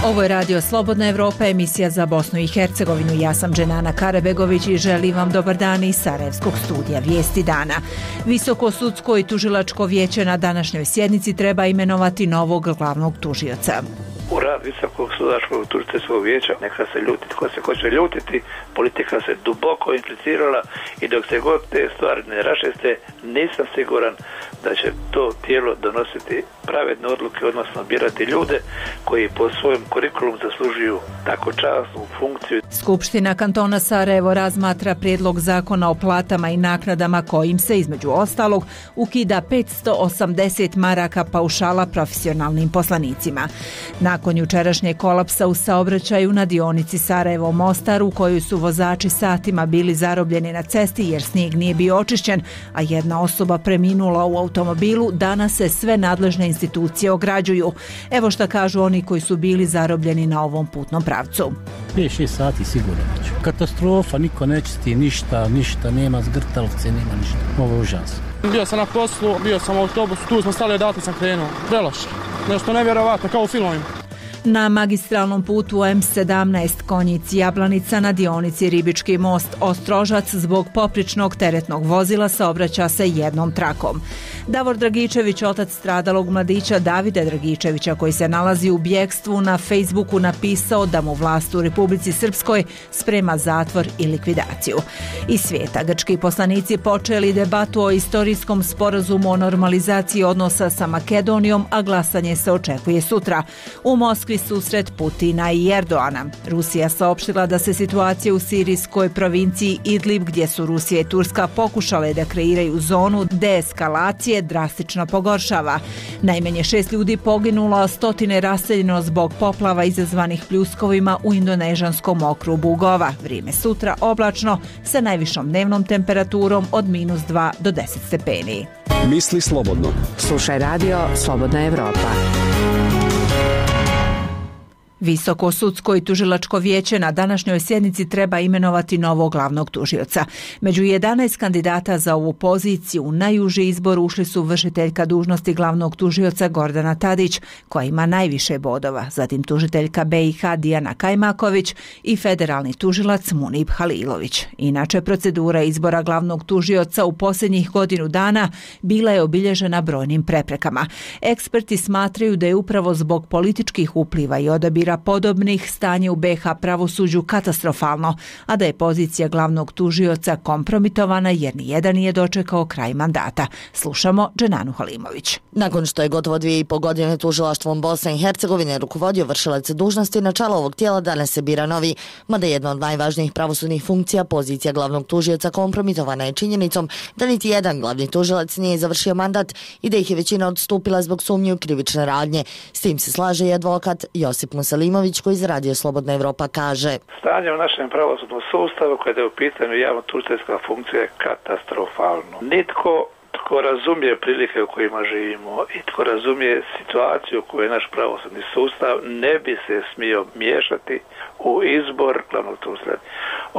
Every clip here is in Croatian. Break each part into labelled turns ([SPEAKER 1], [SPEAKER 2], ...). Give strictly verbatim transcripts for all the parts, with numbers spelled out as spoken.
[SPEAKER 1] Ovo je Radio Slobodna Evropa, emisija za Bosnu i Hercegovinu. Ja sam Dženana Karabegović i želim vam dobar dan iz Sarajevskog studija Vijesti dana. Visoko sudsko i tužilačko vijeće na današnjoj sjednici treba imenovati novog glavnog tužioca.
[SPEAKER 2] U rad Visokog sudačkog tužiteljskog vijeća neka se ljuti tko se hoće ljutiti, politika se duboko implicirala i dok se god te stvari ne raščiste, nisam siguran da će to tijelo donositi pravedne odluke, odnosno birati ljude koji po svojem kurikulum zaslužuju tako časnu funkciju.
[SPEAKER 1] Skupština kantona Sarajevo razmatra prijedlog zakona o platama i naknadama kojim se između ostalog ukida petsto osamdeset maraka paušala profesionalnim poslanicima. Nakon jučerašnjeg kolapsa u saobraćaju na dionici Sarajevo-Mostar u kojoj su vozači satima bili zarobljeni na cesti jer snijeg nije bio očišćen, a jedna osoba preminula u automobilu, danas se sve nadležne institucije ograđuju. Evo šta kažu oni koji su bili zarobljeni na ovom putnom pravcu.
[SPEAKER 3] pet šest sati sigurno neću. Katastrofa, niko nečisti ništa, ništa, nema zgrtalovce, nema ništa. Ovo je užas.
[SPEAKER 4] Bio sam na poslu, bio sam u autobusu, tu smo stali, odatle sam krenuo. Preloše. Nešto nevjerovatno, kao u filmovima.
[SPEAKER 1] Na magistralnom putu em sedamnaest Konjic-Jablanica na dionici Ribički most Ostrožac zbog popričnog teretnog vozila saobraća se jednom trakom. Davor Dragičević, otac stradalog mladića Davida Dragičevića koji se nalazi u bjegstvu, na Facebooku napisao da mu vlast u Republici Srpskoj sprema zatvor i likvidaciju. Iz svijeta grčki poslanici počeli debatu o istorijskom sporazumu o normalizaciji odnosa sa Makedonijom, a glasanje se očekuje sutra. U Moskvi susret Putina i Erdoana. Rusija saopštila da se situacija u sirijskoj provinciji Idlib, gdje su Rusija i Turska pokušale da kreiraju zonu deeskalacije, drastično pogoršava. Najmanje šest ljudi poginulo, a stotine raseljeno zbog poplava izazvanih pljuskovima u indonežanskom okrugu Gova. Vrijeme sutra oblačno sa najvišom dnevnom temperaturom od minus dva do deset stepeni.
[SPEAKER 5] Misli slobodno.
[SPEAKER 6] Slušaj Radio Slobodna Evropa.
[SPEAKER 1] Visoko sudsko i tužilačko vijeće na današnjoj sjednici treba imenovati novog glavnog tužioca. Među jedanaest kandidata za ovu poziciju u najuži izbor ušli su vršiteljka dužnosti glavnog tužioca Gordana Tadić, koja ima najviše bodova, zatim tužiteljka be i ha Dijana Kajmaković i federalni tužilac Munib Halilović. Inače, procedura izbora glavnog tužioca u posljednjih godinu dana bila je obilježena brojnim preprekama. Eksperti smatraju da je upravo zbog političkih upliva i odabira podobnih stanje u be ha pravosuđu katastrofalno, a da je pozicija glavnog tužioca kompromitovana jer nijedan nije dočekao kraj mandata. Slušamo Dženanu Halimović.
[SPEAKER 7] Nakon što je gotovo dvije i po godine tužilaštvom Bosne i Hercegovine rukovodio vršilac dužnosti, na čelo ovog tijela danas se bira novi, mada jedna od najvažnijih pravosudnih funkcija, pozicija glavnog tužioca kompromitovana je činjenicom da niti jedan glavni tužilac nije završio mandat i da ih je većina odstupila zbog sumnje u krivične radnje. S tim se slaže i advokat Josip Musalimović koji za Radio Slobodna Evropa kaže:
[SPEAKER 2] Stanje u našem pravosudnom sustavu kada je u pitanju javno-tužiteljska funkcija je katastrofalno. Nitko tko razumije prilike u kojima živimo i tko razumije situaciju u kojoj je naš pravosudni sustav ne bi se smio miješati u izbor glavnog tužitelja.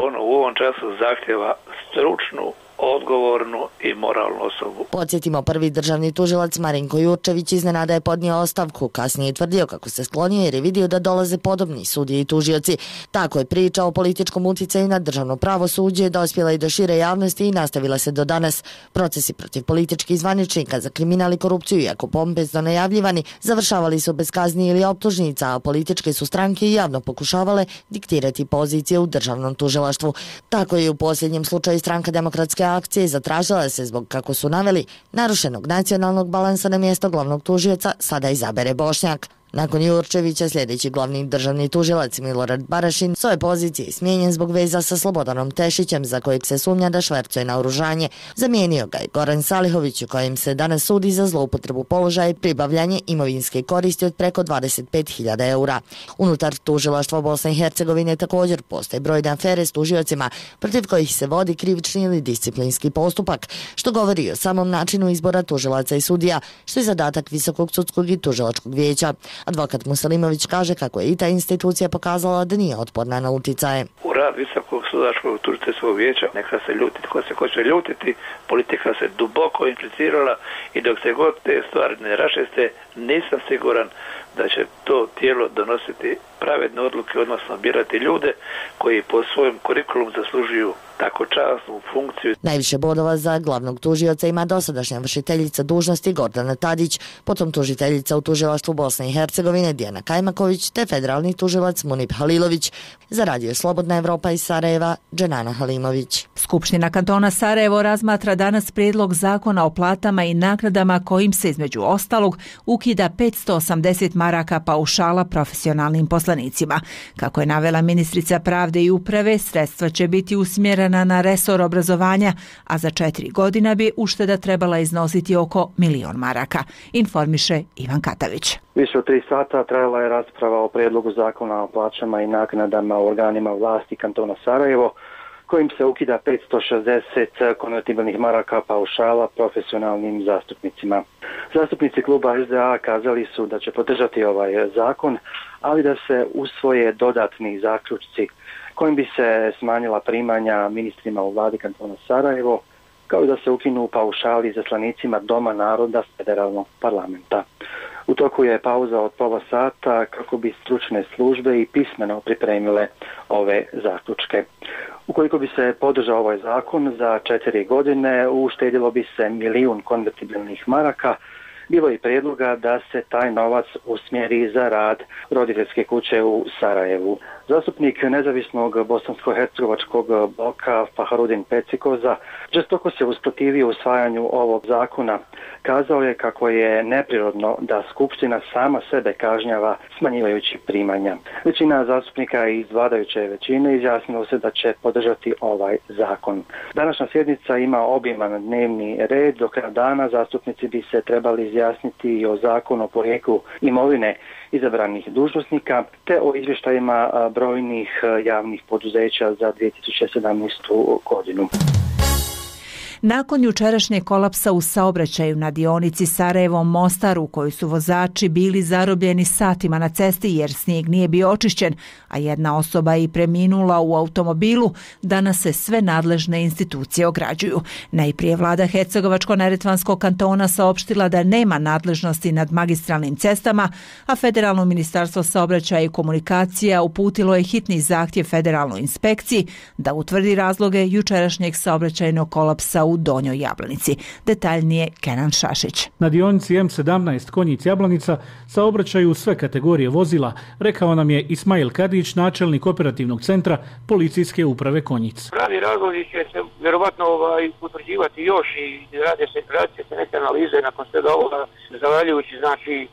[SPEAKER 2] On u ovom času zahtjeva stručnu, odgovornu i moralnu osobu.
[SPEAKER 7] Podsjetimo, prvi državni tužilac Marinko Jurčević iznenada je podnio ostavku, kasnije je tvrdio kako se sklonio jer je vidio da dolaze podobni sudije i tužioci. Tako je priča o političkom uticaju na državno pravosuđe dospjela i do šire javnosti i nastavila se do danas. Procesi protiv političkih zvaničnika za kriminal i korupciju, iako pompezno najavljivani, završavali su bez kazni ili optužnica, a političke su stranke javno pokušavale diktirati pozicije u državnom tužilaštvu. Tako je u posljednjem slučaju Stranka demokratske akcije zatražila se zbog, kako su naveli, narušenog nacionalnog balansa na mjesto glavnog tužioca sada izabere Bošnjak. Nakon Jurčevića sljedeći glavni državni tužilac Milorad Barašin s ove pozicije smijenjen zbog veza sa Slobodanom Tešićem za kojeg se sumnja da švercuje naoružanje. Zamijenio ga je Goran Salihović u kojem se danas sudi za zloupotrebu položaja i pribavljanje imovinske koristi od preko dvadeset pet hiljada eura. Unutar tužilaštva Bosne i Hercegovine također postoje brojne afere s tužiocima protiv kojih se vodi krivični ili disciplinski postupak, što govori o samom načinu izbora tužilaca i sudija, što je zadatak Visokog sudskog i tužilačkog vijeća. Advokat Muselimović kaže kako je i ta institucija pokazala da nije otporna na uticaje.
[SPEAKER 2] U rad Visokog sudačkog tužiteljskog vijeća neka se ljuti tko se hoće ljutiti, politika se duboko implicirala i dok se god te stvari ne raščiste, nisam siguran da će to tijelo donositi pravedne odluke, odnosno birati ljude koji po svojem kurikulumu zaslužuju tako časnu funkciju.
[SPEAKER 7] Najviše bodova za glavnog tužioca ima dosadašnja vršiteljica dužnosti Gordana Tadić, potom tužiteljica u tužilaštvu Bosne i Hercegovine Dijana Kajmaković te federalni tužilac Munip Halilović. Za Radio Slobodna Evropa iz Sarajeva, Dženana Halimović.
[SPEAKER 1] Skupština kantona Sarajevo razmatra danas prijedlog zakona o platama i naknadama kojim se između ostalog ukida petsto osamdeset maraka paušala profesionalnim poslanicima. Kako je navela ministrica pravde i uprave, sredstva će biti usmjerena na resor obrazovanja, a za četiri godina bi ušteda trebala iznositi oko milion maraka, informiše Ivan Katavić.
[SPEAKER 5] Više od tri sata trajala je rasprava o prijedlogu zakona o plaćama i naknadama u organima vlasti kantona Sarajevo, kojim se ukida petsto šezdeset konvertibilnih maraka paušala profesionalnim zastupnicima. Zastupnici kluba S D A kazali su da će podržati ovaj zakon, ali da se usvoje dodatni zaključci kojim bi se smanjila primanja ministrima u vladi kantona Sarajevo, kao i da se ukinu paušali zaslanicima Doma naroda federalnog parlamenta. U toku je pauza od pola sata kako bi stručne službe i pismeno pripremile ove zaključke. Ukoliko bi se podržao ovaj zakon, za četiri godine uštedilo bi se milijun konvertibilnih maraka. Bilo je prijedloga da se taj novac usmjeri za rad roditeljske kuće u Sarajevu. Zastupnik nezavisnog bosansko-hercegovačkog bloka Faharudin Pecikoza žestoko se usprotivio usvajanju ovog zakona. Kazao je kako je neprirodno da Skupština sama sebe kažnjava smanjivajući primanja. Većina zastupnika iz vladajuće većine izjasnilo se da će podržati ovaj zakon. Današnja sjednica ima obiman dnevni red. Do kraja dana zastupnici bi se trebali izjasniti i o zakonu o porijeklu imovine izabranih dužnosnika te o izvještajima brojnih javnih poduzeća za dvije tisuće sedamnaestu godinu.
[SPEAKER 1] Nakon jučerašnjeg kolapsa u saobraćaju na dionici Sarajevo-Mostar u kojoj su vozači bili zarobljeni satima na cesti jer snijeg nije bio očišćen, a jedna osoba i preminula u automobilu, danas se sve nadležne institucije ograđuju. Najprije vlada Hercegovačko-neretvanskog kantona saopštila da nema nadležnosti nad magistralnim cestama, a Federalno ministarstvo saobraćaja i komunikacija uputilo je hitni zahtjev federalnoj inspekciji da utvrdi razloge jučerašnjeg saobraćajnog kolapsa u Donjoj Jablanici. Detaljnije Kenan Šašić.
[SPEAKER 8] Na dionici M sedamnaest Konjic-Jablanica saobraćaju sve kategorije vozila, rekao nam je Ismail Kadić, načelnik operativnog centra policijske uprave Konjic.
[SPEAKER 9] Pravi razlozi će se vjerovatno ovaj, utvrđivati još i radi se, radi se neke analize nakon svega ovoga, zahvaljujući znači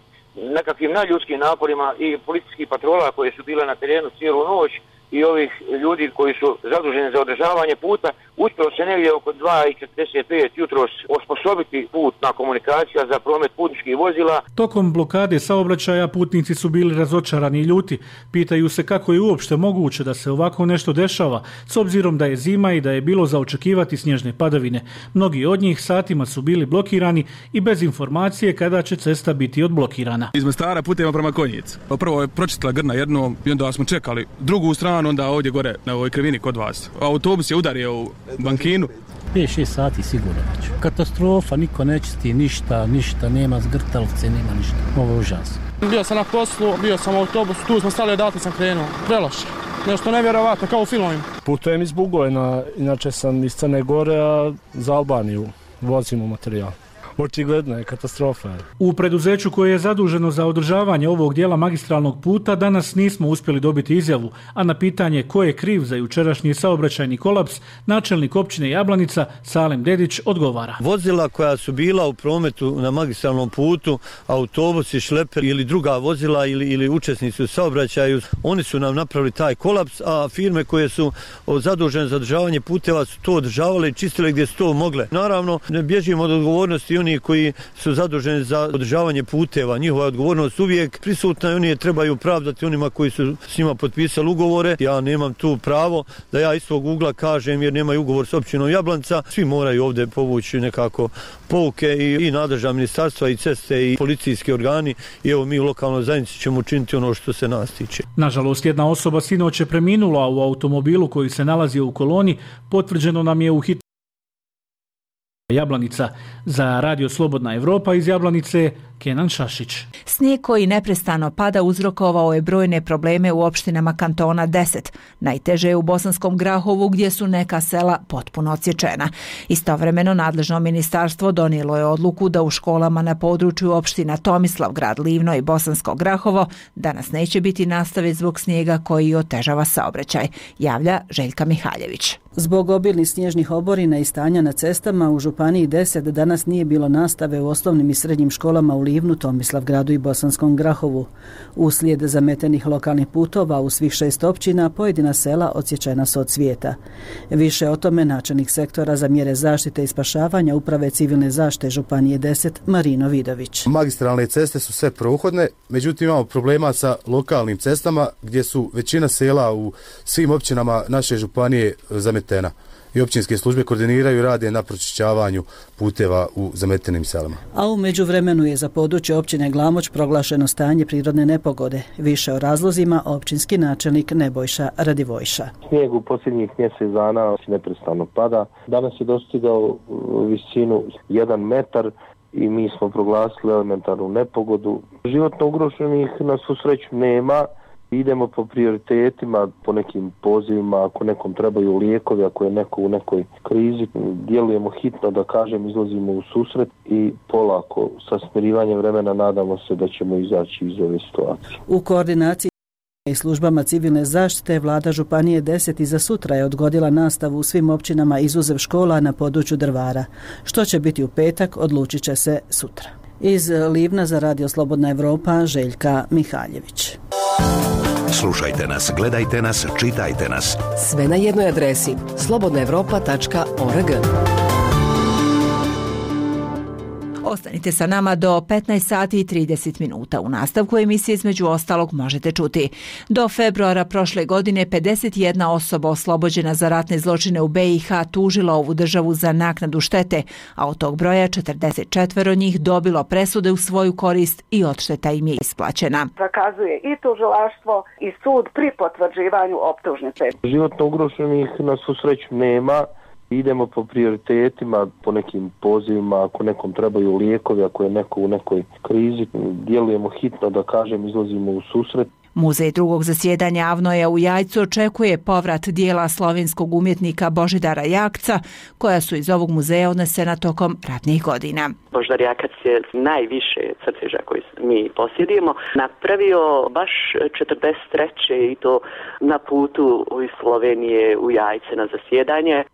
[SPEAKER 9] nekakvim nadljudskim naporima i policijskih patrola koje su bile na terenu cijelu noć i ovih ljudi koji su zaduženi za održavanje puta, uspjelo se negdje oko dva i četrdeset pet jutros osposobiti putna komunikacija za promet putničkih vozila.
[SPEAKER 8] Tokom blokade saobraćaja putnici su bili razočarani i ljuti. Pitaju se kako je uopšte moguće da se ovako nešto dešava, s obzirom da je zima i da je bilo za očekivati snježne padavine. Mnogi od njih satima su bili blokirani i bez informacije kada će cesta biti odblokirana.
[SPEAKER 10] Iz Mostara putujemo prema Konjicu. Prvo je pročistila grna jednom i onda smo čekali drugu stranu, onda ovdje gore na ovoj krivini kod vas. Autobus je udario u bankinu.
[SPEAKER 3] pet šest sati sigurno već. Katastrofa, niko ne čisti ništa, ništa, nema zgrtalovce, nema ništa. Ovo je užas.
[SPEAKER 4] Bio sam na poslu, bio sam u autobusu, tu smo stali, odatle sam krenuo. Preloše. Nešto nevjerovatno, kao u filmovima.
[SPEAKER 11] Putujem iz Bugojna, inače sam iz Crne Gore, a za Albaniju vozimo materijal. Očigledno je katastrofa.
[SPEAKER 8] U preduzeću koje je zaduženo za održavanje ovog dijela magistralnog puta danas nismo uspjeli dobiti izjavu, a na pitanje ko je kriv za jučerašnji saobraćajni kolaps, načelnik općine Jablanica Salem Dedić odgovara.
[SPEAKER 12] Vozila koja su bila u prometu na magistralnom putu, autobusi, šleper ili druga vozila ili, ili učesnici u saobraćaju, oni su nam napravili taj kolaps, a firme koje su zadužene za održavanje puteva su to održavale i čistile gdje su to mogle. Naravno, ne bježimo od odgovornosti i oni oni koji su zaduženi za održavanje puteva. Njihova odgovornost uvijek prisutna i oni je trebaju pravdati onima koji su s njima potpisali ugovore. Ja nemam tu pravo da ja iz svog ugla kažem jer nemaju ugovor s općinom Jablanca. Svi moraju ovdje povući nekako pouke i, i nadležna ministarstva i ceste i policijski organi i evo mi u lokalnoj zajednici ćemo učiniti ono što se nas tiče.
[SPEAKER 8] Nažalost, jedna osoba sinoć je preminula u automobilu koji se nalazio u koloni, potvrđeno nam je u hitnoj Jablanica. Za Radio Slobodna Evropa iz Jablanice, Kenan Šašić.
[SPEAKER 1] Snijeg koji neprestano pada uzrokovao je brojne probleme u opštinama kantona deset. Najteže je u Bosanskom Grahovu gdje su neka sela potpuno odsječena. Istovremeno nadležno ministarstvo donijelo je odluku da u školama na području opština Tomislavgrad, Livno i Bosansko Grahovo danas neće biti nastave zbog snijega koji otežava saobraćaj, javlja Željka Mihaljević.
[SPEAKER 13] Zbog obilnih snježnih oborina i stanja na cestama u Županiji deset danas nije bilo nastave u osnovnim i srednjim školama u Livnu, Tomislavgradu i Bosanskom Grahovu. Uslijed zametenih lokalnih putova u svih šest općina pojedina sela odsječena su od svijeta. Više o tome načelnik sektora za mjere zaštite i spašavanja Uprave civilne zaštite Županije deset Marino Vidović.
[SPEAKER 14] Magistralne ceste su sve prohodne, međutim imamo problema sa lokalnim cestama gdje su većina sela u svim općinama naše županije zametena. I općinske službe koordiniraju i rade na pročišćavanju puteva u zametenim selama.
[SPEAKER 13] A u međuvremenu je za područje općine Glamoč proglašeno stanje prirodne nepogode. Više o razlozima općinski načelnik Nebojša Radivojša.
[SPEAKER 15] Snijeg u posljednjih mjesec dana neprestano pada. Danas je dostigao visinu jedan metar i mi smo proglasili elementarnu nepogodu. Životno ugroženih na svu sreću nema. Idemo po prioritetima, po nekim pozivima, ako nekom trebaju lijekovi, ako je neko u nekoj krizi, djelujemo hitno, da kažem, izlazimo u susret i polako sa smirivanjem vremena nadamo se da ćemo izaći iz ove situacije.
[SPEAKER 13] U koordinaciji i službama civilne zaštite Vlada Županije deset i za sutra je odgodila nastavu u svim općinama izuzev škola na području Drvara. Što će biti u petak, odlučit će se sutra. Iz Livna za Radio Slobodna Evropa, Željka Mihaljević.
[SPEAKER 16] Slušajte nas, gledajte nas, čitajte nas.
[SPEAKER 6] Sve na jednoj adresi slobodna evropa tačka org.
[SPEAKER 1] Ostanite sa nama do petnaest sati i trideset minuta. U nastavku emisije između ostalog možete čuti. Do februara prošle godine pedeset jedna osoba oslobođena za ratne zločine u be i ha tužila ovu državu za naknadu štete, a od tog broja četrdeset četiri njih dobilo presude u svoju korist i odšteta im je isplaćena.
[SPEAKER 17] Zakazuje i tužilaštvo i sud pri potvrđivanju optužnice.
[SPEAKER 15] Životno ugroženih na svu sreću nema. Idemo po prioritetima, po nekim pozivima, ako nekom trebaju lijekovi, ako je neko u nekoj krizi, djelujemo hitno, da kažem, izlazimo u susret.
[SPEAKER 1] Muzej drugog zasjedanja Avnoja u Jajcu očekuje povrat dijela slovenskog umjetnika Božidara Jakca, koja su iz ovog muzeja odnesena tokom ratnih godina.
[SPEAKER 18] Božidar Jakac je najviše crteža koji mi posjedujemo napravio baš četrdeset treće i to na putu iz Slovenije u Jajce na zasjedanje.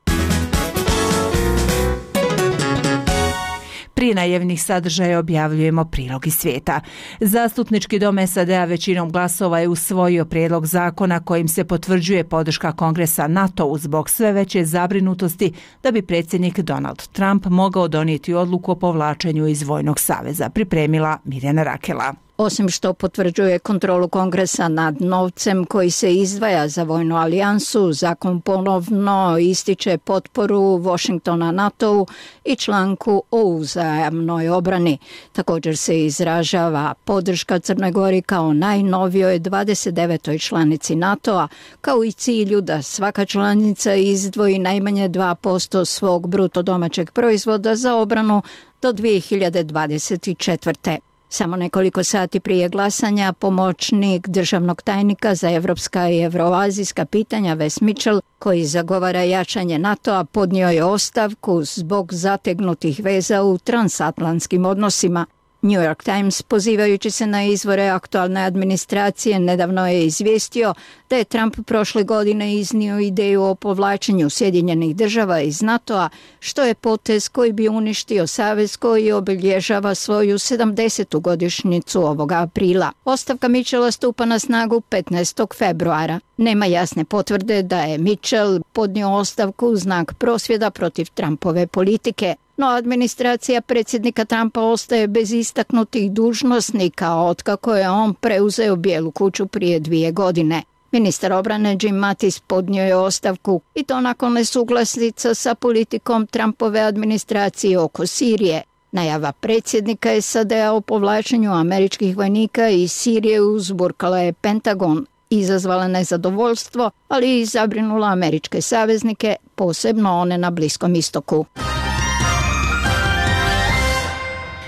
[SPEAKER 1] Prije najavljenih sadržaja objavljujemo prilog iz svijeta. Zastupnički dom es a de a većinom glasova je usvojio prijedlog zakona kojim se potvrđuje podrška Kongresa NATO-u zbog sve veće zabrinutosti da bi predsjednik Donald Trump mogao donijeti odluku o povlačenju iz vojnog saveza, pripremila Mirjana Rakela.
[SPEAKER 19] Osim što potvrđuje kontrolu Kongresa nad novcem koji se izdvaja za vojnu alijansu, zakon ponovno ističe potporu Washingtona NATO-u i članku o uzajamnoj obrani. Također se izražava podrška Crnoj Gori kao najnovijoj dvadeset devetoj članici NATO-a, kao i cilju da svaka članica izdvoji najmanje dva posto svog bruto domaćeg proizvoda za obranu do dvije hiljade dvadeset četvrte. Samo nekoliko sati prije glasanja pomoćnik državnog tajnika za evropska i evroazijska pitanja Wes Mitchell, koji zagovara jačanje NATO-a, podnio je ostavku zbog zategnutih veza u transatlantskim odnosima. New York Times, pozivajući se na izvore aktualne administracije, nedavno je izvijestio da je Trump prošle godine iznio ideju o povlačenju Sjedinjenih država iz NATO-a, što je potez koji bi uništio savez koji obilježava svoju sedamdesetu godišnjicu ovoga aprila. Ostavka Mitchella stupa na snagu petnaestog februara. Nema jasne potvrde da je Mitchell podnio ostavku u znak prosvjeda protiv Trumpove politike. No administracija predsjednika Trumpa ostaje bez istaknutih dužnosnika otkako je on preuzeo Bijelu kuću prije dvije godine. Ministar obrane Jim Mattis podnio je ostavku i to nakon nesuglasica sa politikom Trumpove administracije oko Sirije. Najava predsjednika S A D-a o povlačenju američkih vojnika iz Sirije uzburkala je Pentagon, izazvala nezadovoljstvo, ali i zabrinula američke saveznike, posebno one na Bliskom istoku.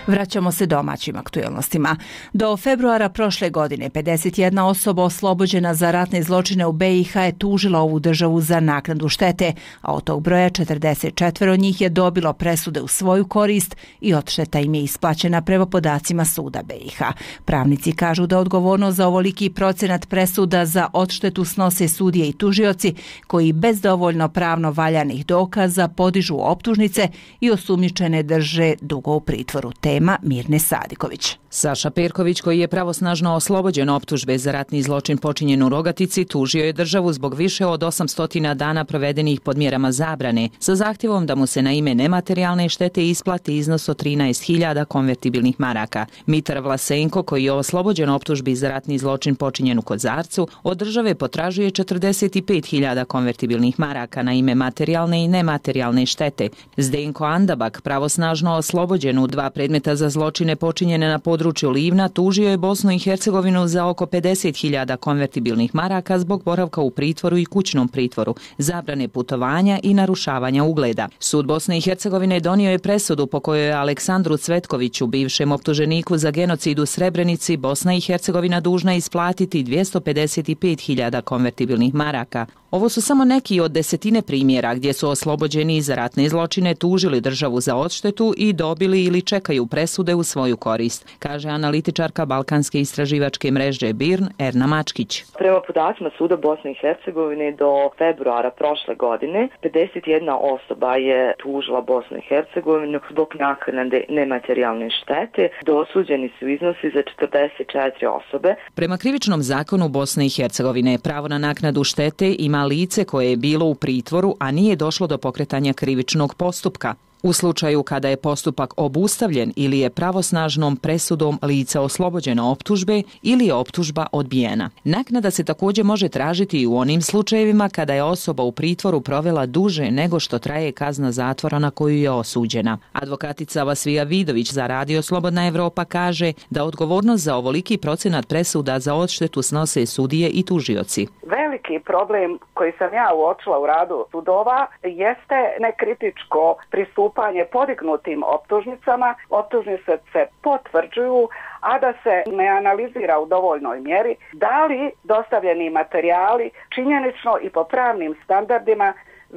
[SPEAKER 1] Vraćamo se domaćim aktuelnostima. Do februara prošle godine pedeset jedna osoba oslobođena za ratne zločine u B i H je tužila ovu državu za naknadu štete, a od tog broja četrdeset četiri od njih je dobilo presude u svoju korist i odšteta im je isplaćena prema podacima suda B i H. Pravnici kažu da odgovornost za ovoliki procenat presuda za odštetu snose sudije i tužioci koji bez dovoljno pravno valjanih dokaza podižu optužnice i osumnjičene drže dugo u pritvoru. Tema Mirne Sadiković.
[SPEAKER 20] Saša Perković, koji je pravosnažno oslobođen optužbe za ratni zločin počinjen u Rogatici, tužio je državu zbog više od osamsto dana provedenih pod mjerama zabrane, sa zahtjevom da mu se na ime nematerijalne štete isplati iznos od trinaest hiljada konvertibilnih maraka. Mitar Vlasenko, koji je oslobođen optužbi za ratni zločin počinjen u Kozarcu, od države potražuje četrdeset pet hiljada konvertibilnih maraka na ime materijalne i nematerijalne štete. Zdenko Andabak, pravosnažno oslobođen u dva predmeta za zločine počinjene na području Livna, tužio je Bosnu i Hercegovinu za oko pedeset hiljada konvertibilnih maraka zbog boravka u pritvoru i kućnom pritvoru, zabrane putovanja i narušavanja ugleda. Sud Bosne i Hercegovine donio je presudu po kojoj je Aleksandru Cvetkoviću, bivšem optuženiku za genocid u Srebrenici, Bosna i Hercegovina dužna isplatiti dvjesto pedeset pet hiljada konvertibilnih maraka. Ovo su samo neki od desetine primjera gdje su oslobođeni za ratne zločine tužili državu za odštetu i dobili ili čekaju presude u svoju korist, kaže analitičarka Balkanske istraživačke mreže B I R N Erna Mačkić.
[SPEAKER 21] Prema podacima Suda Bosne i Hercegovine do februara prošle godine pedeset jedna osoba je tužila Bosnu i Hercegovinu zbog naknade nematerijalne štete. Dosuđeni su iznosi za četrdeset četiri osobe.
[SPEAKER 20] Prema krivičnom zakonu Bosne i Hercegovine pravo na naknadu štete ima lice koje je bilo u pritvoru, a nije došlo do pokretanja krivičnog postupka. U slučaju kada je postupak obustavljen ili je pravosnažnom presudom lice oslobođeno optužbe ili je optužba odbijena. Naknada se također može tražiti i u onim slučajevima kada je osoba u pritvoru provela duže nego što traje kazna zatvora na koju je osuđena. Advokatica Vasvija Vidović za Radio Slobodna Evropa kaže da odgovornost za ovoliki procenat presuda za odštetu snose sudije i tužioci.
[SPEAKER 17] Veliki problem koji sam ja uočila u radu sudova jeste nekritičko pristupanje podignutim optužnicama. Optužnice se potvrđuju, a da se ne analizira u dovoljnoj mjeri da li dostavljeni materijali činjenično i po pravnim standardima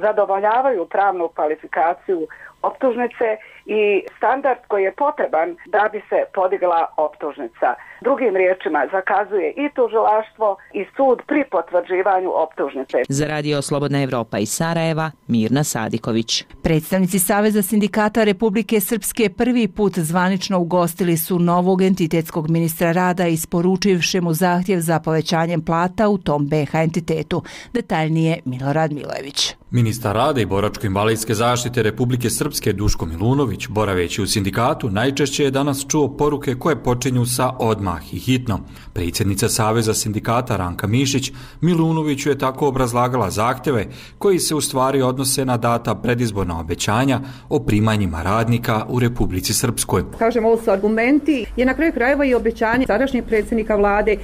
[SPEAKER 17] zadovoljavaju pravnu kvalifikaciju optužnice i standard koji je potreban da bi se podigla optužnica. Drugim riječima, zakazuje i tužilaštvo i sud pri potvrđivanju optužnice.
[SPEAKER 20] Za Radio Slobodna Evropa iz Sarajeva, Mirna Sadiković.
[SPEAKER 1] Predstavnici Saveza sindikata Republike Srpske prvi put zvanično ugostili su novog entitetskog ministra rada isporučivši mu zahtjev za povećanjem plata u tom B H entitetu. Detaljnije Milorad Milojević.
[SPEAKER 22] Ministar rada i boračko-invalidske zaštite Republike Srpske Duško Milunović, boraveći u sindikatu, najčešće je danas čuo poruke koje počinju sa odmah i hitno. Predsjednica Saveza sindikata Ranka Mišić Milunoviću je tako obrazlagala zahtjeve koji se u stvari odnose na data predizborna obećanja o primanjima radnika u Republici Srpskoj.
[SPEAKER 23] Kažem, ovo su argumenti, je na kraju krajeva i obećanje sadašnjeg predsjednika vlade,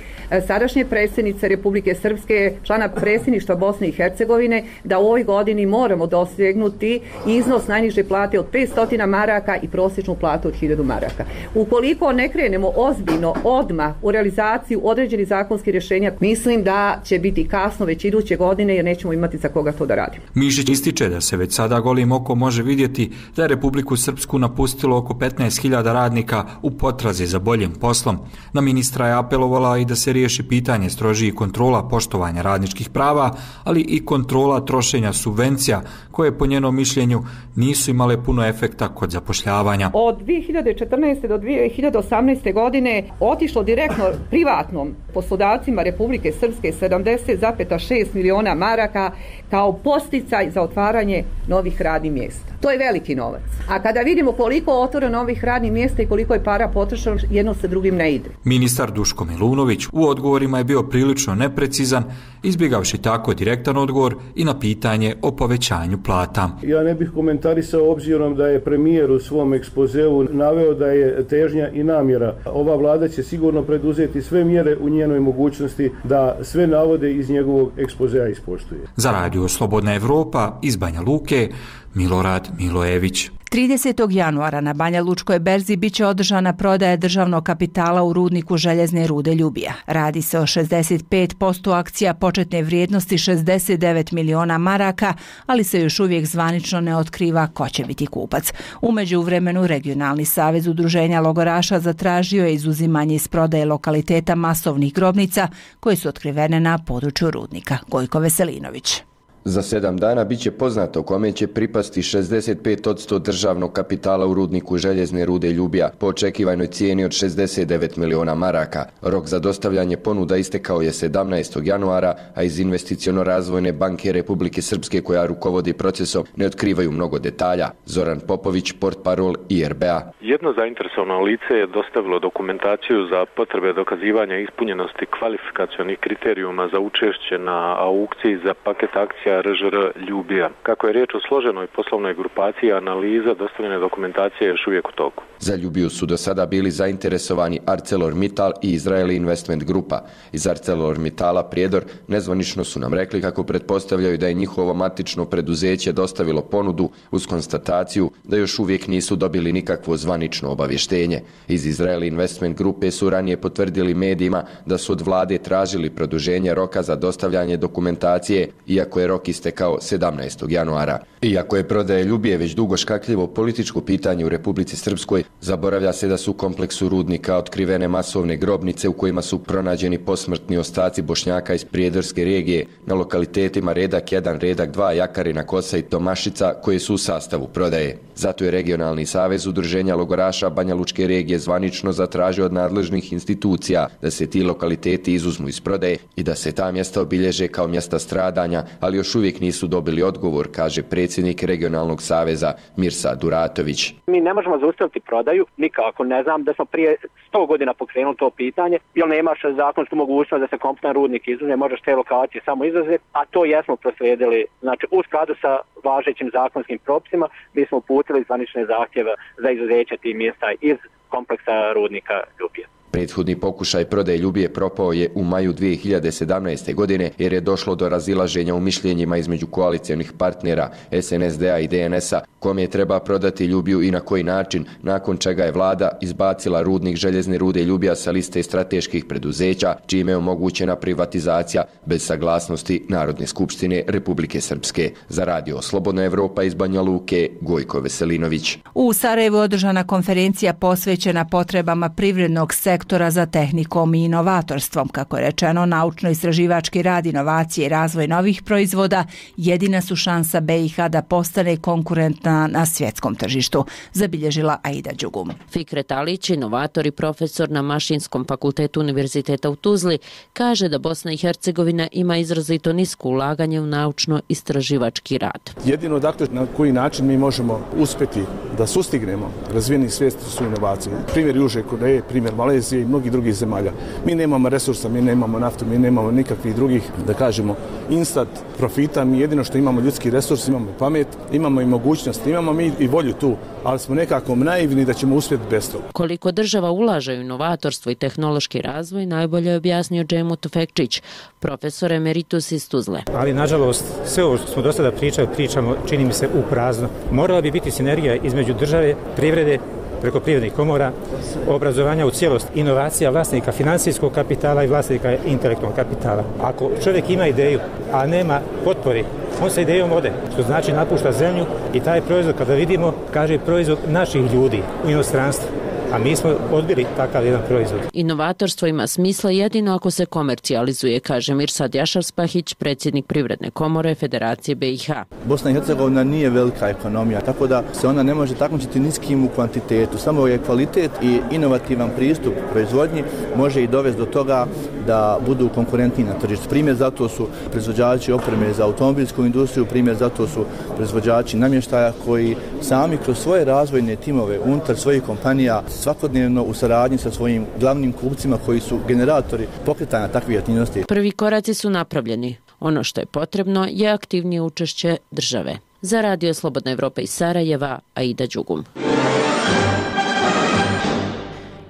[SPEAKER 23] sadašnje predsjednice Republike Srpske, člana predsjedništva Bosne i Hercegovine, da u ovoj godini moramo dosegnuti iznos najniže plate od petsto maraka i prosječnu platu od hiljadu maraka. Ukoliko ne krenemo ozbiljno odmah u realizaciju određenih zakonskih rješenja, mislim da će biti kasno već iduće godine jer nećemo imati za koga to da radimo.
[SPEAKER 22] Mišić ističe da se već sada golim okom može vidjeti da je Republiku Srpsku napustilo oko petnaest hiljada radnika u potrazi za boljim poslom. Na ministra je apelovala i da se riješi pitanje strožijih kontrola poštovanja radničkih prava, ali i kontrola trošenja subvencija koje po njenom mišljenju nisu imale puno efekta kod zapošljavanja.
[SPEAKER 23] Od dvije hiljade četrnaeste do dvije hiljade osamnaeste godine otišlo direktno privatnom poslodavcima Republike Srpske sedamdeset zarez šest miliona maraka kao podsticaj za otvaranje novih radnih mjesta. To je veliki novac. A kada vidimo koliko otvora novih radnih mjesta i koliko je para potrošeno, jedno sa drugim ne ide.
[SPEAKER 22] Ministar Duško Milunović u odgovorima je bio prilično neprecizan, izbjegavši tako direktan odgovor i na pitanje o povećanju plata.
[SPEAKER 2] Ja ne bih komentarisao obzirom da je premijer u svom ekspozeu naveo da je težnja i namjera. Ova vlada će sigurno preduzeti sve mjere u njenoj mogućnosti da sve navode iz njegovog ekspozea ispoštuje.
[SPEAKER 22] Za Radio Slobodna Evropa iz Banja Luke, Milorad Milojević.
[SPEAKER 1] tridesetog januara na Banja Lučkoj berzi biće održana prodaja državnog kapitala u rudniku željezne rude Ljubija. Radi se o šezdeset pet posto akcija početne vrijednosti šezdeset devet miliona maraka, ali se još uvijek zvanično ne otkriva ko će biti kupac. U međuvremenu Regionalni savez udruženja logoraša zatražio je izuzimanje iz prodaje lokaliteta masovnih grobnica koje su otkrivene na području rudnika. Gojko Veselinović.
[SPEAKER 5] Za sedam dana biće poznato kome će pripasti šezdeset pet posto državnog kapitala u rudniku željezne rude Ljubija po očekivanoj cijeni od šezdeset devet miliona maraka. Rok za dostavljanje ponuda istekao je sedamnaestog januara, a iz Investiciono-razvojne banke Republike Srpske koja rukovodi procesom ne otkrivaju mnogo detalja. Zoran Popović, portparol I R B A.
[SPEAKER 7] Jedno zainteresovano lice je dostavilo dokumentaciju za potrebe dokazivanja ispunjenosti kvalifikacionih kriterijuma za učešće na aukciji za paket akcija R Ž R Ljubija. Kako je riječ o složenoj poslovnoj grupaciji, analiza dostavljene dokumentacije je još uvijek u toku.
[SPEAKER 5] Za Ljubiju su do sada bili zainteresovani ArcelorMittal i Israeli Investment Grupa. Iz ArcelorMittala Prijedor nezvanično su nam rekli kako pretpostavljaju da je njihovo matično preduzeće dostavilo ponudu uz konstataciju da još uvijek nisu dobili nikakvo zvanično obavještenje. Iz Israeli Investment Grupe su ranije potvrdili medijima da su od vlade tražili produženje roka za dostavljanje dokumentacije, iako je rok istekao sedamnaestog januara. Iako je prodaja Ljubije već dugo škakljivo političko pitanje u Republici Srpskoj, zaboravlja se da su u kompleksu rudnika otkrivene masovne grobnice u kojima su pronađeni posmrtni ostaci Bošnjaka iz Prijedorske regije na lokalitetima Redak jedan, Redak dva, Jakarina, Kosa i Tomašica koje su u sastavu prodaje. Zato je Regionalni savez udruženja logoraša Banja Lučke regije zvanično zatražio od nadležnih institucija da se ti lokaliteti izuzmu iz prodaje i da se ta mjesta obilježe kao mjesta stradanja, ali još uvijek nisu dobili odgovor, kaže predsjednik Regionalnog saveza Mirsa Duratović.
[SPEAKER 24] Mi ne možemo zaustaviti prodaju nikako. Ne znam da smo prije sto godina pokrenuli to pitanje, jer nemaš zakonsku mogućnost da se kompletan rudnik izuzme, možeš te lokacije samo izuzeti, a to jesmo proslijedili. Znači, u skladu sa važećim zakonskim propisima, mi smo uputili zvanične zahtjeve za izuzeće tih mjesta iz kompleksa rudnika Ljubije.
[SPEAKER 5] Prethodni pokušaj prodaje Ljubije propao je u maju dvije hiljade sedamnaeste. godine jer je došlo do razilaženja u mišljenjima između koalicijonih partnera S N S D A i D N S-a kome je treba prodati Ljubiju i na koji način, nakon čega je vlada izbacila rudnik željezne rude Ljubija sa liste strateških preduzeća, čime je omogućena privatizacija bez saglasnosti Narodne skupštine Republike Srpske. Za Radio Slobodna Evropa iz Banja Luke, Gojko Veselinović.
[SPEAKER 1] U Sarajevu održana konferencija posvećena potrebama privrednog sektora za tehnikom i inovatorstvom. Kako je rečeno, naučno-istraživački rad, inovacije i razvoj novih proizvoda jedina su šansa B i H da postane konkurentna na svjetskom tržištu, zabilježila Aida Đugum.
[SPEAKER 25] Fikret Alić, inovator i profesor na Mašinskom fakultetu Univerziteta u Tuzli, kaže da Bosna i Hercegovina ima izrazito nisko ulaganje u naučno-istraživački rad.
[SPEAKER 26] Jedino dakle na koji način mi možemo uspjeti da sustignemo razvijeni svijet su inovacije. Primjer Južne Koreje, primjer Malezije i mnogih drugih zemalja. Mi nemamo resursa, mi nemamo naftu, mi nemamo nikakvih drugih, da kažemo, instant profita. Mi jedino što imamo ljudski resurs, imamo pamet, imamo i mogućnost, imamo mi i volju tu, ali smo nekako naivni da ćemo uspjeti bez toga.
[SPEAKER 25] Koliko država ulaže u inovatorstvo i tehnološki razvoj, najbolje je objasnio Džemo Tufekčić, profesor emeritus iz Tuzle.
[SPEAKER 27] Ali, nažalost, sve ovo što smo do sada pričali, pričamo, čini mi se, u prazno. Morala bi biti sinergija između države, privrede, preko privrednih komora, obrazovanja u cijelost, inovacija vlasnika financijskog kapitala i vlasnika intelektualnog kapitala. Ako čovjek ima ideju, a nema potpori, on sa idejom ode, što znači napušta zemlju i taj proizvod, kada vidimo, kaže proizvod naših ljudi u inostranstvu. a mi smo odbili takav jedan proizvod.
[SPEAKER 25] Inovatorstvo ima smisla jedino ako se komercijalizuje, kaže Mirsad Jašar-Spahić, predsjednik Privredne komore Federacije B i H.
[SPEAKER 3] Bosna i Hercegovina nije velika ekonomija, tako da se ona ne može takmičiti ni s kim u kvantitetu. Samo je kvalitet i inovativan pristup proizvodnji može i dovesti do toga da budu konkurentni na tržištu. Primjer zato su proizvođači opreme za automobilsku industriju, primjer zato su proizvođači namještaja koji sami kroz svoje razvojne timove unutar svojih kompanija svakodnevno u saradnji sa svojim glavnim kupcima koji su generatori pokretanja takvih aktivnosti.
[SPEAKER 25] Prvi koraci su napravljeni. Ono što je potrebno je aktivnije učešće države. Za Radio Slobodna Evropa iz Sarajeva, Aida Đugum.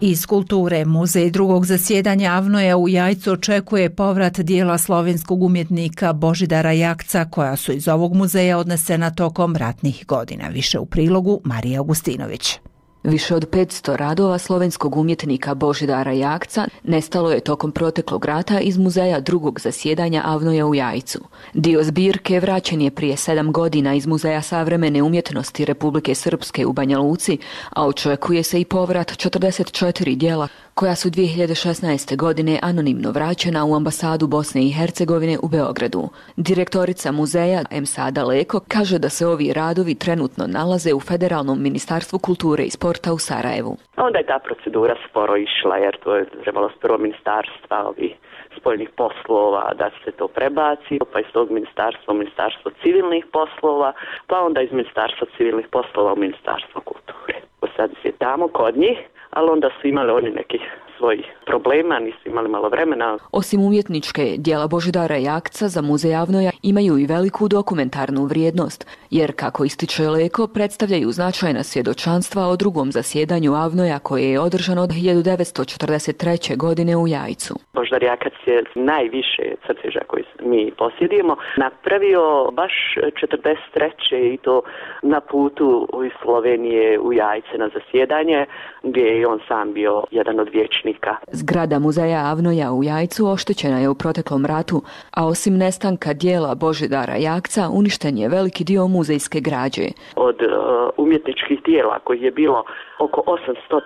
[SPEAKER 1] Iz kulture, muzej drugog zasjedanja Avnoja u Jajcu očekuje povrat dijela slovenskog umjetnika Božidara Jakca, koja su iz ovog muzeja odnesena tokom ratnih godina. Više u prilogu Marija Augustinović.
[SPEAKER 4] Više od petsto radova slovenskog umjetnika Božidara Jakca nestalo je tokom proteklog rata iz muzeja drugog zasjedanja Avnoja u Jajcu. Dio zbirke vraćen je prije sedam godina iz Muzeja savremene umjetnosti Republike Srpske u Banja Luci, a očekuje se i povrat četrdeset četiri dijela koja su dvije hiljade šesnaeste. godine anonimno vraćena u ambasadu Bosne i Hercegovine u Beogradu. Direktorica muzeja Emsada Leko kaže da se ovi radovi trenutno nalaze u Federalnom ministarstvu kulture i sporta u Sarajevu.
[SPEAKER 18] Onda je ta procedura sporo išla jer to je trebalo s prvo ministarstva ovih spoljnih poslova da se to prebaci, pa iz tog ministarstva u ministarstvo civilnih poslova, pa onda iz ministarstva civilnih poslova u ministarstvo kulture. Sad je tamo kod njih, ali onda su imali oni nekih svojih problema, nisu imali malo vremena.
[SPEAKER 4] Osim umjetničke, dijela Božidara Jakca za muzej Avnoja imaju i veliku dokumentarnu vrijednost, jer, kako ističe Leko, predstavljaju značajna svjedočanstva o drugom zasjedanju Avnoja koje je održano od hiljadu devetsto četrdeset treće. godine u Jajcu.
[SPEAKER 18] Božidar Jakac je najviše crteža koji mi posjedujemo napravio baš četrdeset treće i to na putu iz Slovenije u Jajce na zasjedanje, gdje je on sam bio jedan od vječnika.
[SPEAKER 4] Zgrada muzeja Avnoja u Jajcu oštećena je u proteklom ratu, a osim nestanka dijela Božidara Jakca uništen je veliki dio muzejske građe.
[SPEAKER 18] Od uh, umjetničkih dijela kojih je bilo oko osamsto,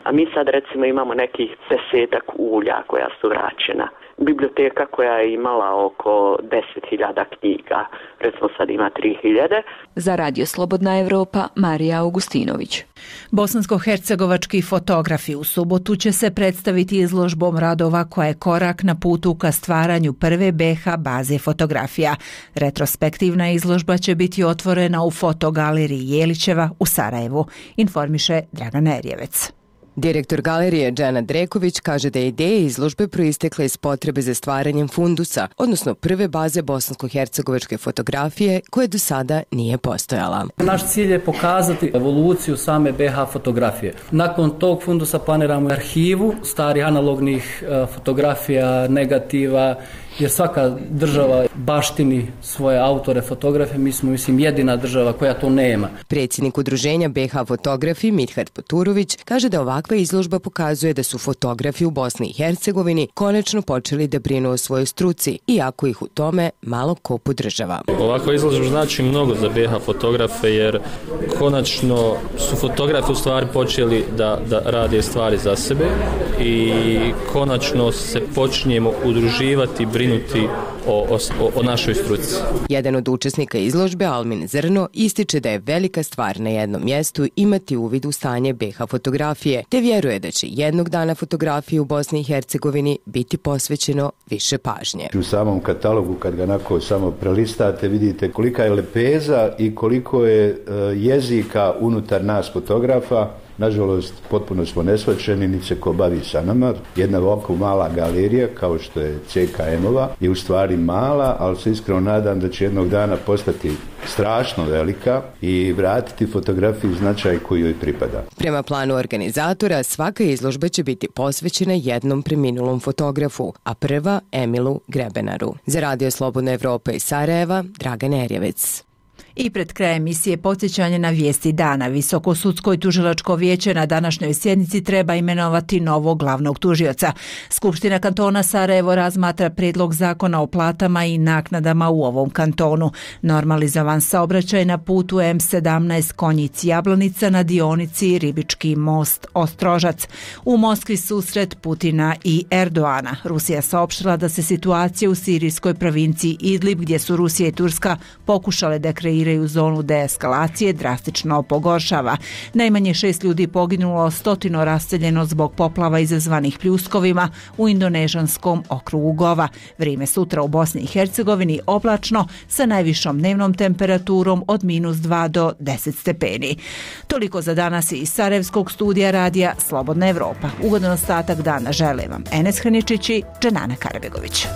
[SPEAKER 18] a mi sad recimo imamo nekih desetak ulja koja su vraćena. Biblioteka koja je imala oko deset hiljada knjiga, recimo sad ima tri hiljade.
[SPEAKER 4] Za Radio Slobodna Evropa, Marija Augustinović.
[SPEAKER 1] Bosansko-hercegovački fotografi u subotu će se predstaviti izložbom radova koja je korak na putu ka stvaranju prve B H baze fotografija. Retrospektivna izložba će biti otvorena u fotogaleriji Jelićeva u Sarajevu, informiše Dragan Erjevec.
[SPEAKER 8] Direktor galerije Džana Dreković kaže da je ideja izložbe proistekla iz potrebe za stvaranjem fundusa, odnosno prve baze bosansko-hercegovačke fotografije koje do sada nije postojala.
[SPEAKER 9] Naš cilj je pokazati evoluciju same B H fotografije. Nakon tog fundusa planiramo arhivu starih analognih fotografija, negativa, jer svaka država baštini svoje autore fotografije, mi smo mislim jedina država koja to nema.
[SPEAKER 8] Predsjednik udruženja B H fotografi Midhat Poturović kaže da ovakva izložba pokazuje da su fotografi u Bosni i Hercegovini konačno počeli da brinu o svojoj struci, iako ih u tome malo ko podržava.
[SPEAKER 10] Ovakva izložba znači mnogo za B H fotografe jer konačno su fotografi u stvari počeli da, da rade stvari za sebe i konačno se počinjemo udruživati, brinuti o, o, o našoj struci.
[SPEAKER 8] Jedan od učesnika izložbe, Almin Zrno, ističe da je velika stvar na jednom mjestu imati uvid u stanje B H fotografije, te vjeruje da će jednog dana fotografiji u Bosni i Hercegovini biti posvećeno više pažnje.
[SPEAKER 11] U samom katalogu, kad ga onako samo prelistate, vidite kolika je lepeza i koliko je uh, jezika unutar nas fotografa. Nažalost, potpuno smo nesvačeni, niti se ko bavi sa nama. Jedna ovako mala galerija, kao što je C K M-ova, je u stvari mala, ali se iskreno nadam da će jednog dana postati strašno velika i vratiti fotografiji značaj koji joj pripada.
[SPEAKER 8] Prema planu organizatora, svaka izložba će biti posvećena jednom preminulom fotografu, a prva Emilu Grebenaru. Za Radio Slobodna Evropa iz Sarajeva, Dragan Erjevec.
[SPEAKER 1] I pred krajem emisije podsjećanje na vijesti dana. Visoko sudsko i tužilačko vijeće na današnjoj sjednici treba imenovati novog glavnog tužioca. Skupština kantona Sarajevo razmatra prijedlog zakona o platama i naknadama u ovom kantonu. Normalizovan saobraćaj na putu em sedamnaest Konjic-Jablanica na dionici Ribički most Ostrožac. U Moskvi susret Putina i Erdoana. Rusija saopštila da se situacija u sirijskoj provinciji Idlib, gdje su Rusija i Turska pokušale da kreiraju u zonu deeskalacije, drastično pogoršava. Najmanje šest ljudi poginulo, stotino raseljeno zbog poplava izazvanih pljuskovima u indonežanskom okrugu Gova. Vrijeme sutra u Bosni i Hercegovini oblačno sa najvišom dnevnom temperaturom od minus dva do deset stepeni. Toliko za danas iz Sarajevskog studija radija Slobodna Evropa. Ugodan ostatak dana žele vam Enes Hrničić i Dženana Karabegović.